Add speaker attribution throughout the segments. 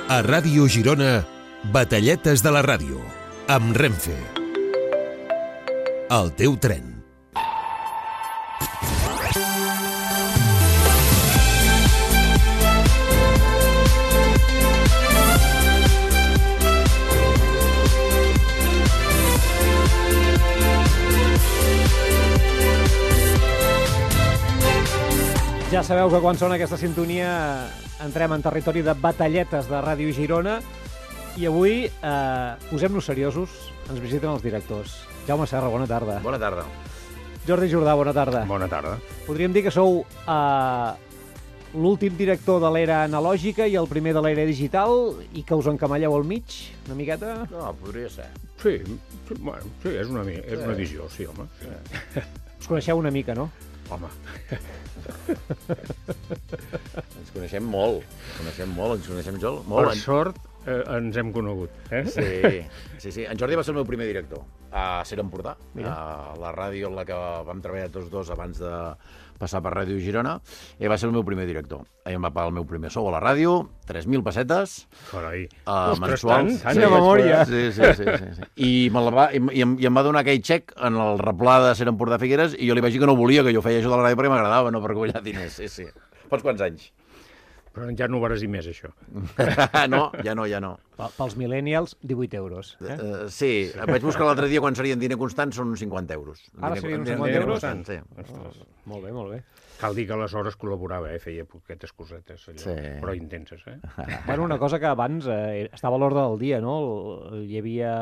Speaker 1: A Ràdio Girona, Batalletes de la ràdio, amb Renfe. El teu tren.
Speaker 2: Ja sabeu que quan sona aquesta sintonia entrem en territori de batalletes de Ràdio Girona i avui, posem-nos seriosos, ens visiten els directors. Jaume Serra, bona tarda.
Speaker 3: Bona tarda.
Speaker 2: Jordi Jordà, bona tarda.
Speaker 4: Bona tarda.
Speaker 2: Podríem dir que sou l'últim director de l'era analògica i el primer de l'era digital i que us encamalleu al mig, una miqueta?
Speaker 3: No, podria ser.
Speaker 4: Sí, bueno, sí, és una visió, sí, home. Sí.
Speaker 2: Us coneixeu una mica, no?
Speaker 4: Home.
Speaker 3: Ens coneixem molt, ens coneixem molt.
Speaker 4: Per sort ens hem conegut.
Speaker 3: Sí. En Jordi va ser el meu primer director a Ser Empordà, a la ràdio en la que vam treballar tots dos abans de passar per Ràdio Girona, i va ser el meu primer director. Em va pagar el meu primer sou a la ràdio, 3.000 pessetes.
Speaker 4: Carai.
Speaker 3: Mensuals.
Speaker 2: Tant de memòria.
Speaker 3: Sí. I em va donar aquell xec en el replà de Ser Empordà Figueres i jo li vaig dir que no volia, que jo feia això de la ràdio perquè m'agradava, no per guanyar diners. Sí. Pots quants anys?
Speaker 4: Però ja no ho veuràs dir més, això.
Speaker 3: No, ja no.
Speaker 2: Pels millennials, 18 euros.
Speaker 3: Sí, vaig buscar l'altre dia quan serien diner constant, són uns 50 euros.
Speaker 2: Ara serien uns 50 euros?
Speaker 3: Sí.
Speaker 2: Molt bé.
Speaker 4: Cal dir que aleshores col·laborava, feia poquetes cosetes, allò,
Speaker 3: sí.
Speaker 4: Però intenses,
Speaker 2: Bueno, una cosa que abans estava a l'ordre del dia, no? Hi havia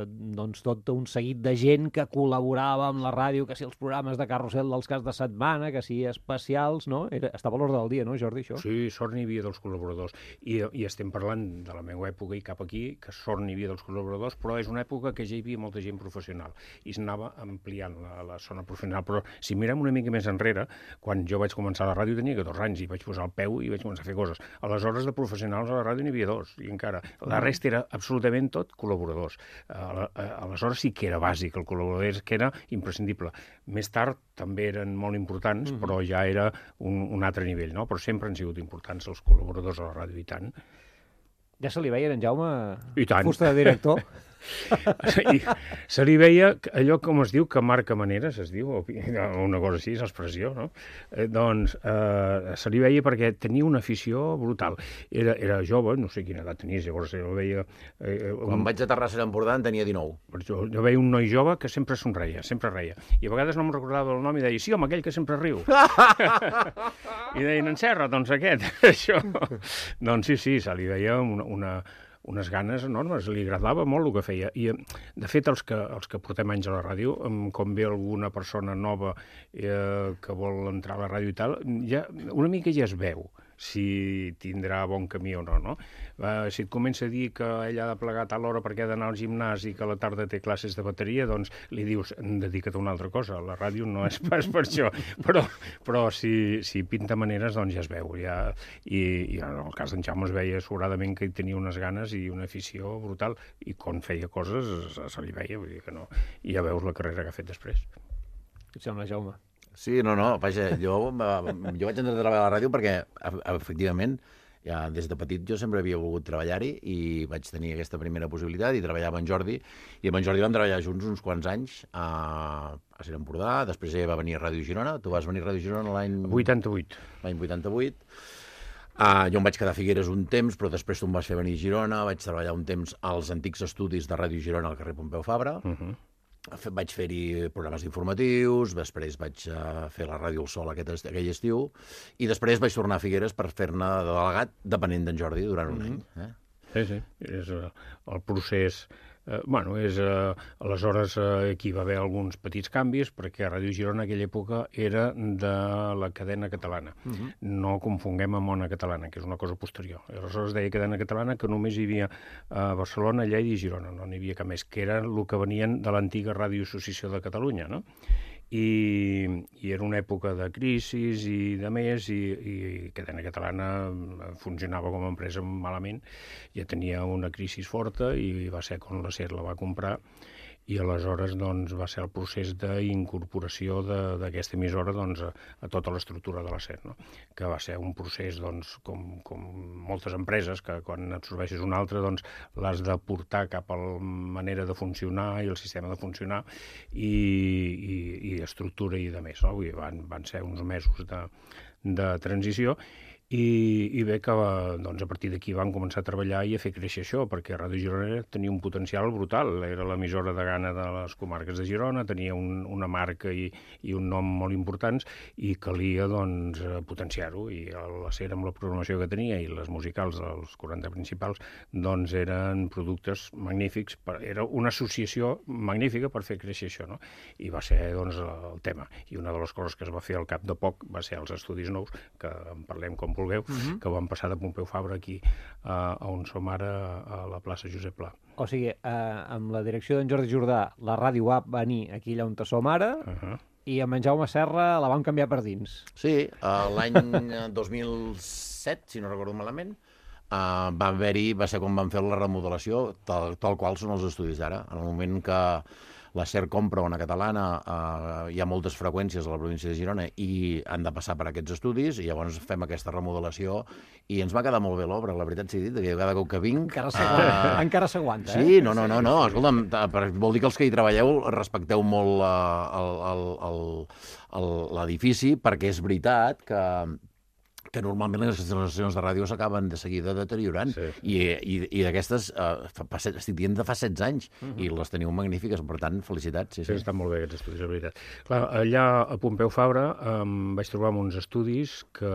Speaker 2: doncs, tot un seguit de gent que col·laborava amb la ràdio, que si els programes de carrusel dels caps de setmana, que si especials, no? Estava a l'ordre del dia, no, Jordi, això?
Speaker 4: Sí, sort n'hi havia dels col·laboradors. I estem parlant de la meva època i cap aquí, que sort n'hi havia dels col·laboradors, però és una època que ja hi havia molta gent professional i s'anava ampliant la zona professional. Però si mirem una mica més enrere, quan jo vaig començar a la ràdio tenia 14 anys i vaig posar el peu i vaig començar a fer coses. Aleshores, de professionals a la ràdio n'hi havia 2, i encara. La resta era absolutament tot col·laboradors. Aleshores sí que era bàsic, el col·laborador que era imprescindible. Més tard també eren molt importants, però ja era un altre nivell, no? Però sempre han sigut importants els col·laboradors a la ràdio, i tant.
Speaker 2: Ja se li veia, en Jaume,
Speaker 4: I tant.
Speaker 2: fusta de director?
Speaker 4: I se li veia allò, com es diu, que marca maneres, es diu, o una cosa així, és l'expressió, no? Se li veia perquè tenia una afició brutal. Era jove, no sé quina edat tenia, llavors jo veia...
Speaker 3: Quan vaig aterrar a Ser Empordà en tenia 19.
Speaker 4: Jo veia un noi jove que sempre somreia, sempre reia. I a vegades no em recordava el nom i deia, sí, home, aquell que sempre riu. I deien, en Serra, doncs aquest, això. Doncs sí, se li veia unes ganes enormes, li agradava molt el que feia. I, de fet, els que portem anys a la ràdio, com ve alguna persona nova que vol entrar a la ràdio i tal, una mica ja es veu si tindrà bon camí o no? Si et comença a dir que ell ha de plegar a tal hora perquè ha d'anar al gimnàs i que a la tarda té classes de bateria, doncs li dius, dedica't a una altra cosa, la ràdio no és pas per això, però si pinta maneres, doncs ja es veu. I en el cas d'en Jaume es veia sobradament que tenia unes ganes i una afició brutal, i quan feia coses se li veia, vull dir que no. I ja veus la carrera que ha fet després.
Speaker 2: Què et sembla, Jaume?
Speaker 3: Sí, no, vaja, jo vaig entrar a treballar a la ràdio perquè, efectivament, ja des de petit jo sempre havia volgut treballar-hi i vaig tenir aquesta primera possibilitat i treballava amb en Jordi, i amb en Jordi vam treballar junts uns quants anys a Ser Empordà, després ella va venir a Ràdio Girona, tu vas venir a Ràdio Girona l'any...
Speaker 4: 88.
Speaker 3: L'any 88. Jo em vaig quedar a Figueres un temps, però després tu em vas fer venir a Girona, vaig treballar un temps als antics estudis de Ràdio Girona al carrer Pompeu Fabra, vaig fer-hi programes informatius, després vaig fer la Ràdio El Sol aquell estiu, i després vaig tornar a Figueres per fer-ne de delegat depenent d'en Jordi durant un any.
Speaker 4: Sí, és el procés... aleshores aquí va haver alguns petits canvis, perquè Ràdio Girona en aquella època era de la cadena catalana. No confonguem amb Ona Catalana, que és una cosa posterior. Aleshores deia cadena catalana que només hi havia a Barcelona, Lleida i Girona, no n'hi havia cap més, que era el que venien de l'antiga Ràdio Associació de Catalunya, no? I era una època de crisis i de més, i Cadena Catalana funcionava com a empresa malament, ja tenia una crisi forta i va ser quan la SER la va comprar i aleshores doncs, va ser el procés d'incorporació d'aquesta emissora doncs, a tota l'estructura de la SER, no? Que va ser un procés doncs, com moltes empreses, que quan absorbeixes una altra doncs, l'has de portar cap a la manera de funcionar i el sistema de funcionar i estructura i de més. No? Vull dir, van ser uns mesos de transició i bé que doncs, a partir d'aquí vam començar a treballar i a fer créixer això, perquè Ràdio Girona tenia un potencial brutal. Era l'emissora de gana de les comarques de Girona, tenia una marca i un nom molt importants i calia doncs, potenciar-ho. I la SER, amb la programació que tenia i les musicals dels 40 principals, doncs eren productes magnífics. Era una associació magnífica per fer créixer això, no? I va ser doncs, el tema. I una de les coses que es va fer al cap de poc va ser els estudis nous, que en parlem com vulgueu, que van passar de Pompeu Fabra aquí a on som ara, a la plaça Josep Pla.
Speaker 2: O sigui, amb la direcció d'en Jordi Jordà, la ràdio va venir aquí allà on som ara, i amb en Jaume Serra la vam canviar per dins.
Speaker 3: Sí, l'any 2007, si no recordo malament, va ser quan van fer la remodelació, tal qual són els estudis d'ara. En el moment que la SER compra una catalana, hi ha moltes freqüències a la província de Girona i han de passar per aquests estudis, i llavors fem aquesta remodelació i ens va quedar molt bé l'obra, la veritat sigui dit, que cada cop que vinc...
Speaker 2: Encara s'aguanta,
Speaker 3: Sí, no, escolta'm, vol dir que els que hi treballeu respecteu molt l'edifici, perquè és veritat que normalment les instal·lacions de ràdio s'acaben de seguida deteriorant. Sí. I d'aquestes, estic dient de fa 16 anys, i les teniu magnífiques, per tant, felicitats.
Speaker 4: Sí, estan molt bé aquests estudis, és veritat. Clar, allà a Pompeu Fabra vaig trobar uns estudis que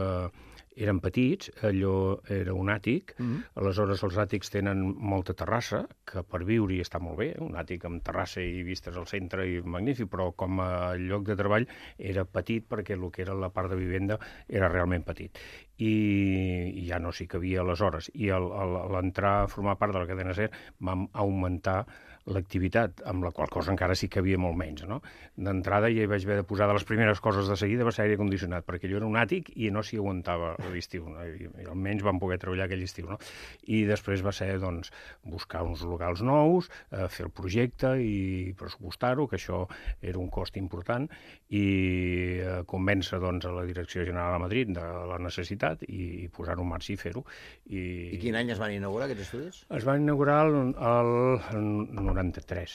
Speaker 4: eren petits, allò era un àtic, aleshores els àtics tenen molta terrassa, que per viure-hi està molt bé, un àtic amb terrassa i vistes al centre i magnífic, però com a lloc de treball era petit perquè el que era la part de vivenda era realment petit. I ja no s'hi cabia aleshores. I a l'entrar a formar part de la cadena SER vam augmentar l'activitat, amb la qual cosa encara sí que havia molt menys, no? D'entrada ja hi vaig haver de posar de les primeres coses de seguida va ser aire condicionat, perquè allò era un àtic i no s'hi aguantava l'estiu, no? I almenys vam poder treballar aquell estiu, no? I després va ser, doncs, buscar uns locals nous, fer el projecte i pressupostar-ho, que això era un cost important, i convèncer, doncs, a la Direcció General de Madrid de la necessitat i posar-ho en marxa i fer-ho.
Speaker 3: I quin any es van inaugurar aquests estudis?
Speaker 4: Es van inaugurar el 93.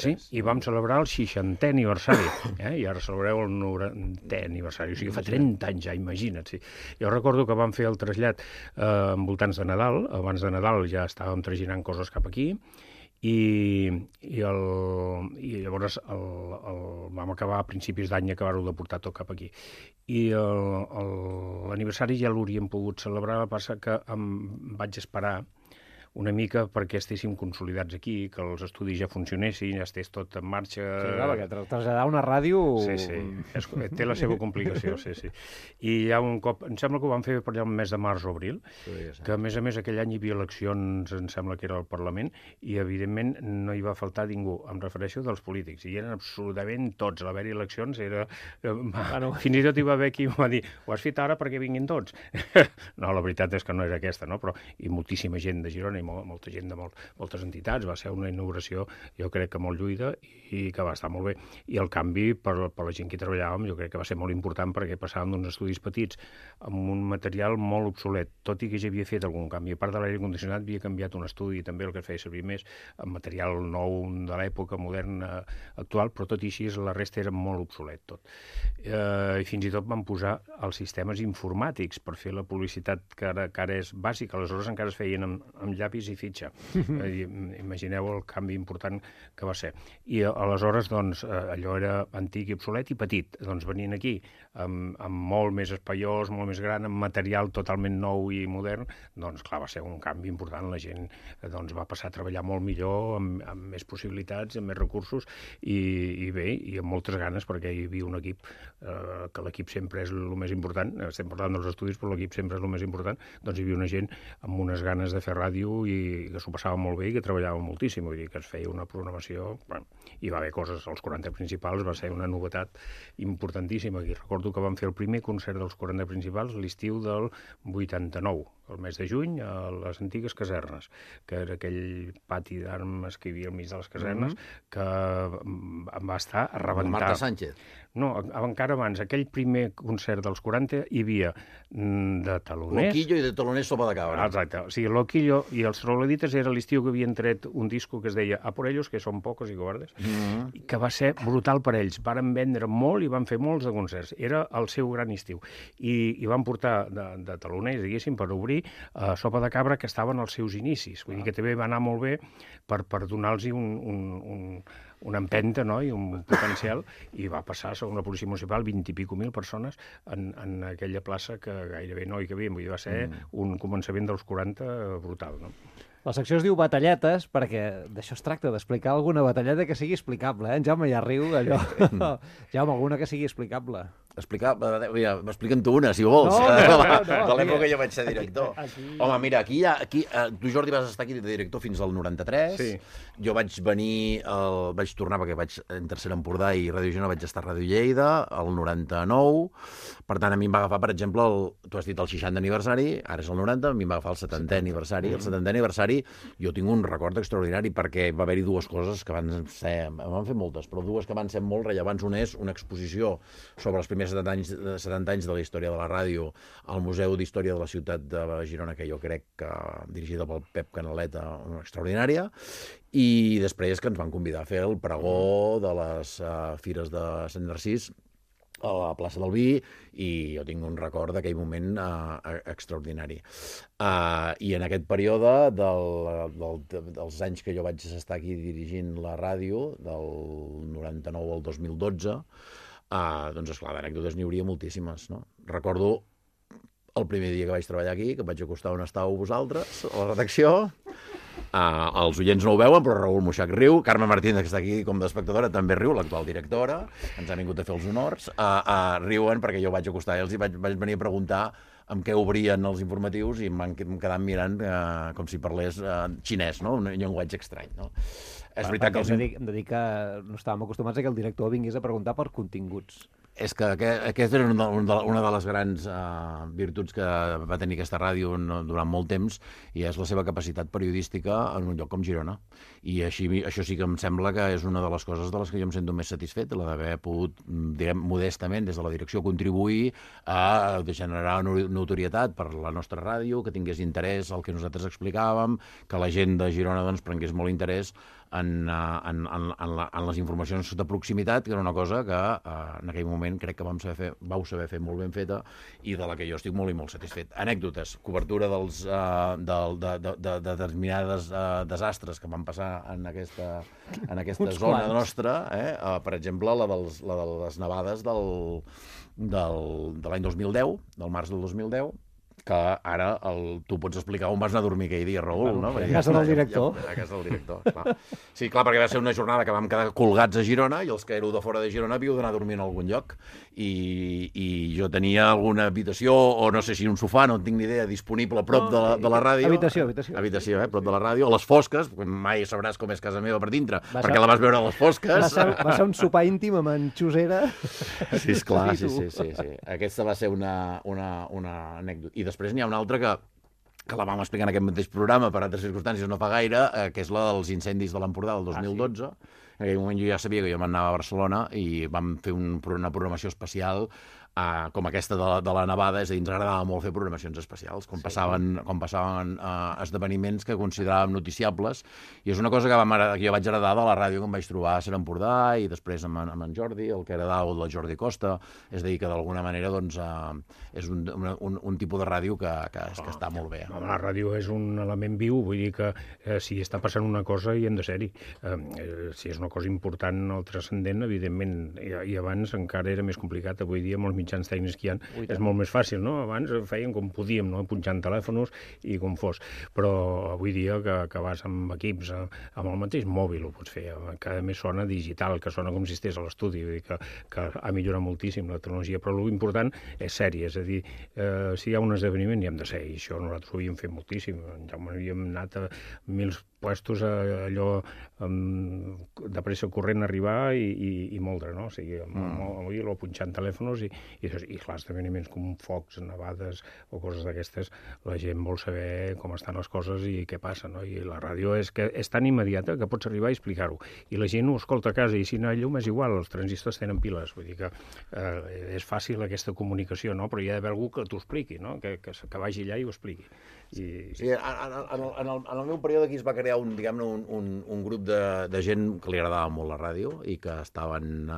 Speaker 4: Sí? I vam celebrar el 60è aniversari. I ara celebreu el 90è aniversari. O sigui, fa 30 anys ja, imagina't. Sí. Jo recordo que vam fer el trasllat envoltants de Nadal. Abans de Nadal ja estàvem traginant coses cap aquí. I llavors vam acabar a principis d'any, acabar-ho de portar tot cap aquí. I l'aniversari ja l'hauríem pogut celebrar, passa que em vaig esperar una mica perquè estéssim consolidats aquí, que els estudis ja funcionessin, ja estés tot en marxa.
Speaker 2: Sí, clar, perquè traslladar una ràdio...
Speaker 4: Sí, té la seva complicació, sí. I ja un cop, em sembla que ho vam fer per allà el mes de març o abril, que a més aquell any hi havia eleccions, em sembla que era al Parlament, i evidentment no hi va faltar ningú, em refereixo dels polítics, i eren absolutament tots, a l'haver-hi eleccions era... Fins i tot hi va haver qui em va dir, ho has fet ara perquè vinguin tots? No, la veritat és que no era aquesta, no? Però i moltíssima gent de Girona i molta gent de moltes entitats. Va ser una inauguració, jo crec que molt lluïda i que va estar molt bé. I el canvi, per la gent que hi treballàvem, jo crec que va ser molt important perquè passàvem d'uns estudis petits amb un material molt obsolet, tot i que ja havia fet algun canvi. A part de l'aire condicionat, havia canviat un estudi, també el que feia servir més, amb material nou de l'època moderna actual, però tot i així la resta era molt obsolet tot. I fins i tot van posar els sistemes informàtics per fer la publicitat que ara és bàsica. Aleshores encara es feien amb llapis i fitxa. Imagineu el canvi important que va ser. I aleshores, doncs, allò era antic i obsolet i petit. Doncs venint aquí amb molt més espaiós, molt més gran, amb material totalment nou i modern, doncs clar, va ser un canvi important. La gent doncs, va passar a treballar molt millor, amb més possibilitats, amb més recursos i bé, i amb moltes ganes, perquè hi havia un equip, que l'equip sempre és el més important, estem parlant dels estudis, però l'equip sempre és el més important, doncs hi havia una gent amb unes ganes de fer ràdio i que s'ho passava molt bé i que treballava moltíssim, vull dir que es feia una programació, bueno, hi va haver coses, els 40 principals va ser una novetat importantíssima, i recordo que vam fer el primer concert dels 40 principals l'estiu del 89, el mes de juny a les antigues casernes, que era aquell pati d'armes que hi havia al mig de les casernes, que va estar a rebentar.
Speaker 3: Marta Sánchez.
Speaker 4: No, encara abans, aquell primer concert dels 40 hi havia de taloners...
Speaker 3: Loquillo i de taloners sopa de cabra.
Speaker 4: Exacte, o sigui, Loquillo i els Troglodites era l'estiu que havien tret un disco que es deia A por ellos, que són pocos i cobardes, que va ser brutal per ells. Varen vendre molt i van fer molts de concerts. Era el seu gran estiu. I van portar de taloners, diguéssim, per obrir Sopa de Cabra, que estaven als seus inicis. Vull dir que també va anar molt bé per donar-los una empenta, no?, i un potencial, i va passar a segona policia municipal 20 i pico mil persones en aquella plaça que gairebé no hi cabien. Vull dir, va ser un començament dels 40 brutal, no?
Speaker 2: La secció es diu Batalletes perquè d'això es tracta, d'explicar alguna batalleta que sigui explicable, eh? En Jaume ja riu, allò. Jaume, alguna que sigui explicable.
Speaker 3: M'expliquen tu una, si vols. De l'època que jo vaig ser director. Home, mira, tu, Jordi, vas estar aquí de director fins al 93.
Speaker 4: Sí.
Speaker 3: Jo vaig venir, vaig tornar perquè vaig en Tercera Empordà i Ràdio Girona, vaig estar a Ràdio Lleida, al 99. Per tant, a mi em va agafar, per exemple, tu has dit el 60 aniversari, ara és el 90, a mi em va agafar el 70è aniversari. El 70è aniversari jo tinc un record extraordinari perquè va haver-hi dues coses que van fer moltes, però dues que van ser molt rellevants. Una és una exposició sobre els primers 70 anys de la història de la ràdio al Museu d'Història de la Ciutat de Girona, que jo crec que dirigida pel Pep Canaleta, extraordinària, i després que ens van convidar a fer el pregó de les fires de Sant Narcís a la plaça del Vi, i jo tinc un record d'aquell moment extraordinari. I en aquest període dels anys que jo vaig estar aquí dirigint la ràdio, del 99 al 2012, doncs, esclar, d'anècdotes n'hi hauria moltíssimes, no? Recordo el primer dia que vaig treballar aquí, que em vaig acostar on estàveu vosaltres, a la redacció. Els oients no ho veuen, però Raül Muixac riu. Carme Martínez, que està aquí com d'espectadora, també riu, l'actual directora. Ens ha vingut a fer els honors. Riuen perquè jo vaig acostar i els vaig venir a preguntar amb què obrien els informatius i em van quedar mirant com si parlés xinès, no? Un llenguatge estrany, no? És veritat que
Speaker 2: hem de dir que no estàvem acostumats a que el director vingués a preguntar per continguts.
Speaker 3: És que aquesta era una de les grans virtuts que va tenir aquesta ràdio durant molt temps, i és la seva capacitat periodística en un lloc com Girona. I això sí que em sembla que és una de les coses de les que jo em sento més satisfet, la d'haver pogut, diguem, modestament, des de la direcció, contribuir a generar notorietat per la nostra ràdio, que tingués interès al que nosaltres explicàvem, que la gent de Girona doncs, prengués molt interès en les informacions de proximitat, que era una cosa que en aquell moment crec que vau saber fer molt ben feta i de la que jo estic molt i molt satisfet. Anècdotes, cobertura de determinades desastres que van passar en aquesta zona nostra, per exemple, la de les nevades de l'any 2010, del març del 2010, que ara tu pots explicar on vas anar a dormir aquell dia, Raül, no?
Speaker 2: A casa del director.
Speaker 3: A casa del director, clar. Sí, clar, perquè va ser una jornada que vam quedar colgats a Girona i els que éreu de fora de Girona havíeu d'anar a dormir en algun lloc. I jo tenia alguna habitació, o no sé si un sofà, no en tinc ni idea, disponible a prop de la ràdio. Habitació, prop de la ràdio, a les fosques, mai sabràs com és casa meva per dintre, perquè la vas veure a les fosques.
Speaker 2: Va ser un sopar íntim amb en Xusera.
Speaker 3: Sí, esclar, sí. Aquesta va ser una anècdota. I després n'hi ha una altra que la vam explicar en aquest mateix programa per altres circumstàncies no fa gaire, que és la dels incendis de l'Empordà del 2012. En aquell moment jo ja sabia que jo m'anava a Barcelona i vam fer una programació especial com aquesta de la nevada, és a dir, ens agradava molt fer programacions especials, com passaven esdeveniments que consideràvem noticiables, i és una cosa que jo vaig heredar de la ràdio que em vaig trobar a Sant Empordà i després amb en Jordi, el que heredava del Jordi Costa, és a dir, que d'alguna manera doncs, és un tipus de ràdio que està molt bé.
Speaker 4: La ràdio és un element viu, vull dir que si està passant una cosa hi hem de ser-hi. Si és una cosa important o transcendent, evidentment, i abans encara era més complicat, avui dia molts mitjans tècnics que hi ha, és molt més fàcil, no? Abans feien com podíem, no? Punxant telèfons i com fos. Però avui dia que vas amb equips, amb el mateix mòbil ho pots fer, que a més sona digital, que sona com si estigués a l'estudi, vull dir que ha millorat moltíssim la tecnologia, però l'important és sèrie, és a dir, si hi ha un esdeveniment hi hem de ser, i això nosaltres ho havíem fet moltíssim. En Jaume havíem anat a mils puestos allò de pressa corrent arribar i moldre, no? O sigui, o punxant telèfons i clar, esdeveniments com focs, nevades o coses d'aquestes, la gent vol saber com estan les coses i què passa, no? I la ràdio és tan immediata que pots arribar i explicar-ho. I la gent ho escolta a casa i si no hi ha llum és igual, els transistors tenen piles, vull dir que és fàcil aquesta comunicació, no? Però hi ha d'haver algú que t'ho expliqui, no? Que vagi allà i ho expliqui.
Speaker 3: Sí, en el meu període aquí es va crear un grup de gent que li agradava molt la ràdio i que estaven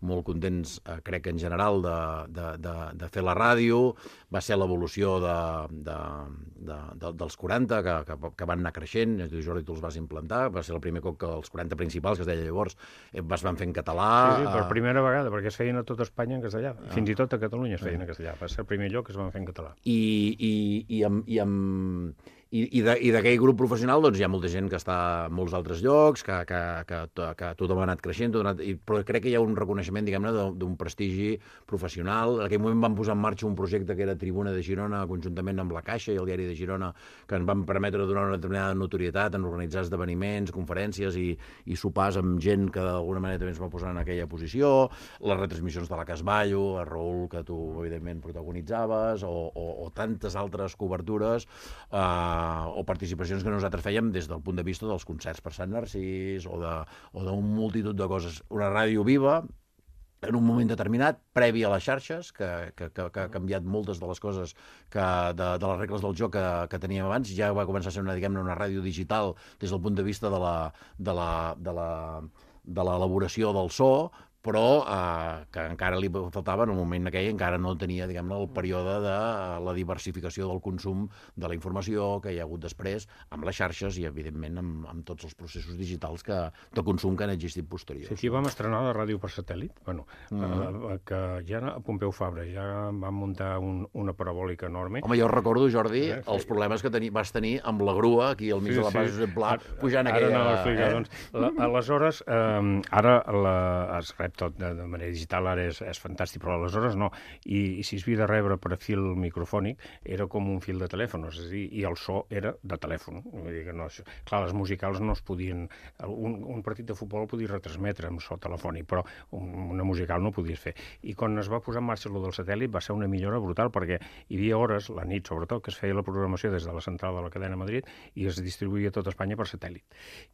Speaker 3: molt contents, crec que en general, de fer la ràdio. Va ser l'evolució dels 40, que van anar creixent. Jordi, tu els vas implantar. Va ser el primer cop que els 40 principals, que es deia llavors, es van fer en català.
Speaker 4: Sí, per primera vegada, perquè es feien a tot Espanya en castellà. Fins i tot a Catalunya es feien en castellà. Va ser el primer lloc que es van fer en català.
Speaker 3: I d'aquell grup professional doncs, hi ha molta gent que està a molts altres llocs, que tothom ha anat creixent, però crec que hi ha un reconeixement, diguem-ne, d'un prestigi professional. En aquell moment vam posar en marxa un projecte que era Tribuna de Girona, conjuntament amb la Caixa i el Diari de Girona, que ens van permetre donar una determinada notorietat en organitzar esdeveniments, conferències i sopars amb gent que d'alguna manera també ens va posar en aquella posició, les retransmissions de la Casballo, a Raül, que tu evidentment protagonitzaves, o tantes altres cobertures, o participacions que nosaltres fèiem des del punt de vista dels concerts per Sant Narcís o d'un multitud de coses. Una ràdio viva, en un moment determinat, previ a les xarxes, que ha canviat moltes de les coses, de les regles del joc que teníem abans. Ja va començar a ser una ràdio digital des del punt de vista de l'elaboració del so, però que encara li faltava, en el moment aquell encara no tenia, diguem-ne, el període de la diversificació del consum de la informació que hi ha hagut després amb les xarxes i, evidentment, amb tots els processos digitals de consum que han existit posteriors.
Speaker 4: Sí, aquí vam estrenar la ràdio per satèl·lit, que ja a Pompeu Fabra ja vam muntar una parabòlica enorme.
Speaker 3: Home, jo recordo, Jordi, els problemes que vas tenir amb la grua aquí al mig de la plaça Josep Pla, pujant aquella...
Speaker 4: Ara no l'explica, doncs. Aleshores, ara es rep tot de manera digital, ara és fantàstic, però aleshores no. I si es havia de rebre per fil microfònic, era com un fil de telèfon, és a dir, i el so era de telèfon. Vull dir que no, clar, les musicals no es podien... Un partit de futbol podia retransmetre amb so telefònic, però una musical no podies fer. I quan es va posar en marxa el del satèl·lit va ser una millora brutal, perquè hi havia hores, la nit sobretot, que es feia la programació des de la central de la cadena Madrid i es distribuïa a tot Espanya per satèl·lit.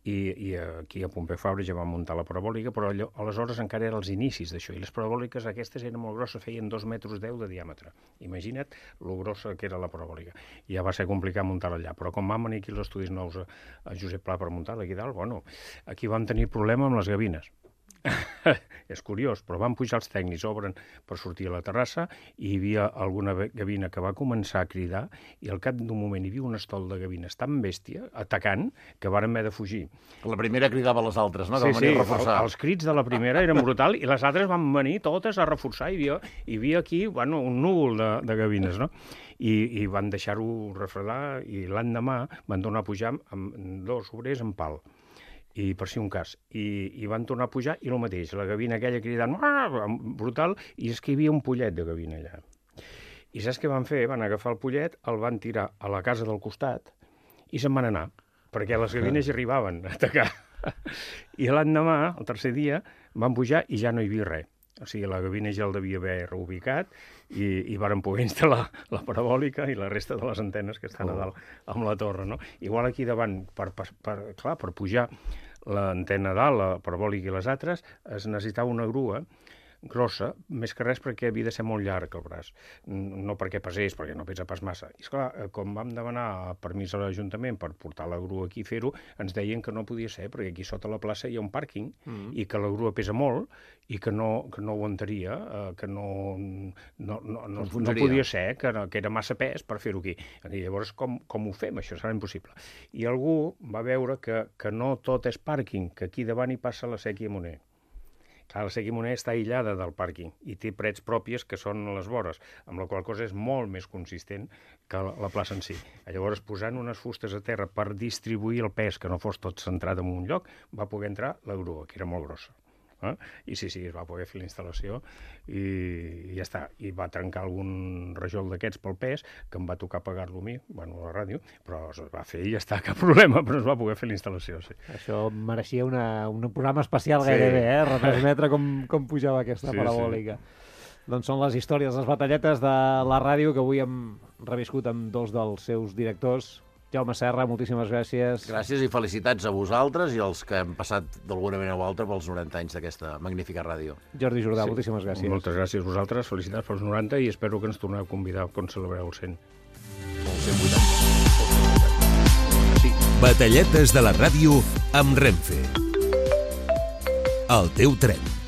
Speaker 4: I aquí a Pompeu Fabra ja vam muntar la parabòlica, però aleshores encara eren els inicis d'això, i les parabòliques aquestes eren molt grosses, feien 2,10 metres de diàmetre. Imagina't lo grossa que era la parabòlica. I ja va ser complicat muntar-la allà, però com vam venir aquí els estudis nous a Josep Pla per muntar-la aquí dalt, bueno, aquí vam tenir problema amb les gavines. És curiós, però van pujar els tècnics, obren per sortir a la terrassa i hi havia alguna gavina que va començar a cridar i al cap d'un moment hi havia un estol de gavines tan bèstia, atacant, que varen haver de fugir.
Speaker 3: La primera cridava a les altres, no? Sí,
Speaker 4: els crits de la primera eren brutal i les altres van venir totes a reforçar. Hi havia aquí un núvol de gavines, no? I van deixar-ho refredar i l'endemà van tornar a pujar amb 2 obrers en pal. I per si un cas. I van tornar a pujar i el mateix, la gavina aquella cridant brutal, i és que hi havia un pollet de gavina allà. I saps què van fer? Van agafar el pollet, el van tirar a la casa del costat i se'n van anar, perquè les gavines hi arribaven a atacar. I l'endemà, el tercer dia, van pujar i ja no hi havia res. O sigui, la gavina ja el devia haver reubicat i varen poder instal·lar la parabòlica i la resta de les antenes que estan a dalt amb la torre, no? Igual aquí davant, per pujar l'antena dalt, la parabòlica i les altres, es necessitava una grua grossa, més que res perquè havia de ser molt llarg el braç, no perquè pesés, perquè no pesa pas massa. I esclar, com vam demanar permís a l'Ajuntament per portar la grua aquí i fer-ho, ens deien que no podia ser, perquè aquí sota la plaça hi ha un pàrquing i que la grua pesa molt i que no aguantaria, que no podia ser, que era massa pes per fer-ho aquí. I llavors, com ho fem? Això serà impossible. I algú va veure que no tot és pàrquing, que aquí davant hi passa la Sèquia Moner. Clar, la Sèquia Moner està aïllada del pàrquing i té parets pròpies que són a les vores, amb la qual cosa és molt més consistent que la plaça en si. Llavors, posant unes fustes a terra per distribuir el pes, que no fos tot centrat en un lloc, va poder entrar la grua, que era molt grossa. I sí, es va poder fer la instal·lació i ja està. I va trencar algun rajol d'aquests pel pes, que em va tocar pagar-lo a mi, bueno, a la ràdio, però es va fer i ja està, cap problema, però es va poder fer la instal·lació, sí.
Speaker 2: Això mereixia un programa especial gairebé, retransmetre com pujava aquesta parabòlica. Doncs són les històries, les batalletes de la ràdio que avui hem reviscut amb dos dels seus directors. Jaume Serra, moltíssimes gràcies.
Speaker 3: Gràcies i felicitats a vosaltres i als que hem passat d'alguna manera o altra pels 90 anys d'aquesta magnífica ràdio.
Speaker 2: Jordi Jordà, moltíssimes gràcies.
Speaker 4: Moltes gràcies a vosaltres, felicitats pels 90 i espero que ens torneu a convidar quan celebreu el 100.
Speaker 3: El 180.
Speaker 1: Sí. Batalletes de la ràdio amb Renfe. El teu tren.